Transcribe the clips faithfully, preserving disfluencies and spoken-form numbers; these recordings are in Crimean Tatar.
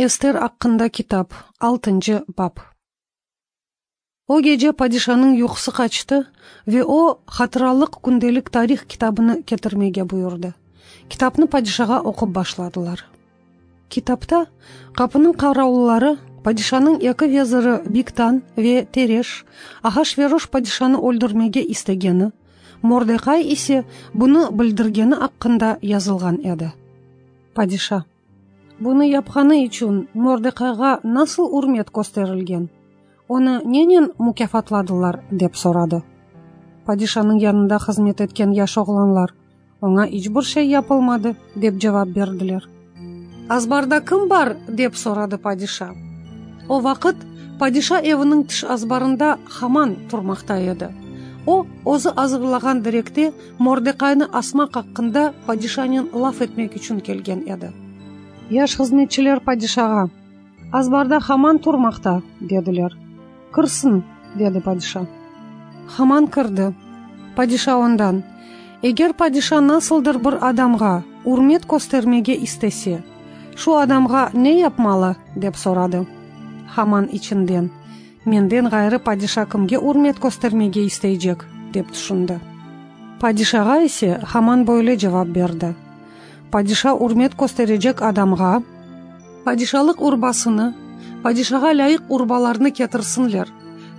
Ester aqqında kitap, altıncı bap. O gece padişanıñ yuqusı qaçtı ve o, hatıralıq kündelik tarih kitabını ketirmege buyurdı. Kitapnı padişağa oqup başladılar. Kitapta qapınıñ qaravulları, padişanıñ eki veziri Bigtan ve Tereş Ahaşveroş padişanı öldürmege istegeni, Mordehay ise bunı bildirgeni aqqında yazılğan edi. Padişa: Bunı yapqanı içün Mordehayğa nasıl ürmet kösterilgen, onı nenen mukâfatladılar? dep soradı. Padişanıñ yanında hızmet etken yaş oğlanlar: Oña iç bir şey yapılmadı, dep cevap berdiler. Azbarda kim bar? dep soradı padişa. O vaqıt padişa eviniñ tış azbarında Haman turmaqta edi. O, özü azırlağan direkte Mordehaynı asmaq aqqında padişanen laf etmek içün kelgen edi. Yaş hızmetçiler padişağa: Azbarda Haman turmaqta, dediler. Kirsin, dedi padişa. Haman kirdi. Padişa ondan: Eger padişa nasıldır bir adamğa ürmet köstermege istese, şu adamğa ne yapmalı? dep soradı. Haman içinden: Menden ğayrı padişa kimge ürmet köstermege isteycek? dep tüşündi. Padişağa ise Haman böyle cevap berdi: Padişa ürmet kösterecek adamğa padişalıq urbasını, padişağa lâyıq urbalarnı ketirsinler,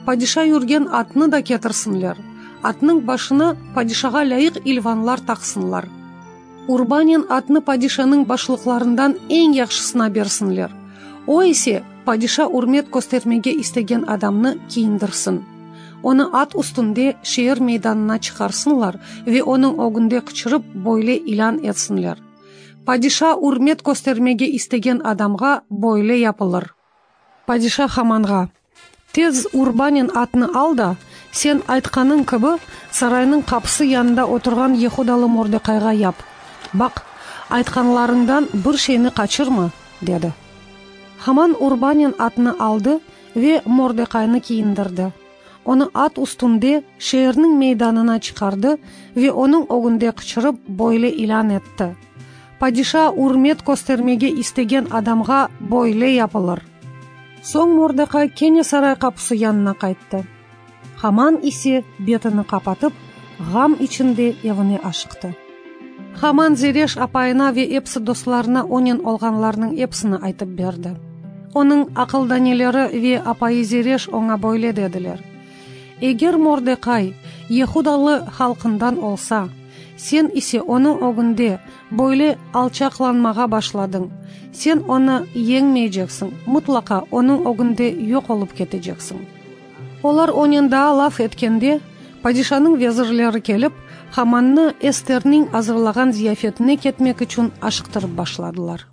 padişa yürgen atnı da ketirsinler, atnıñ başına padişağa lâyıq ilvanlar taqsınlar. Urbanen atnı padişanıñ başlıqlarından eñ yahşısına bersinler, o ise padişa ürmet köstermege istegen adamnı kiyindirsin. Onı at üstünde şeer meydanına çıqarsınlar ve onıñ ögünde qıçırıp böyle ilân etsinler: Padişa ürmet köstermege istegen adamğa böyle yapılır. Padişa Hamanğa: Tez urbanen atnı al da, sen aytqanıñ kibi, saraynıñ qapısı yanında oturğan yehudalı Mordekayğa yap. Baq, aytqanlarıñdan bir şeyni qaçırma, dedi. Haman urbanen atnı aldı ve Mordekaynı kiyindirdi. Onı at üstünde şeerniñ meydanına çıqardı ve onıñ ögünde qıçırıp böyle ilân etti: Padişa ürmet köstermege istegen adamğa böyle yapılır. Soñ Mordekay kene saray qapusı yanına qayttı. Haman ise betini qapatıp, ğam içinde evine aşıqtı. Haman Zereş apayına ve episi dostlarına onen olğanlarnıñ episini aytıp berdi. Onıñ aqıldaneleri ve apayı Zereş oña böyle dediler: Eger Mordekay yehudalı halqından olsa, sen ise onıñ ögünde böyle alçaqlanmağa başladıñ, sen onı yeñmeyceksiñ, mıtlaqa onıñ ögünde yoq olıp keteceksiñ. Olar onen daa laf etkende, padişanıñ vezirleri kelip, Hamannı Esterniñ azırlağan ziyafetine ketmek içün aşıqtırıp başladılar.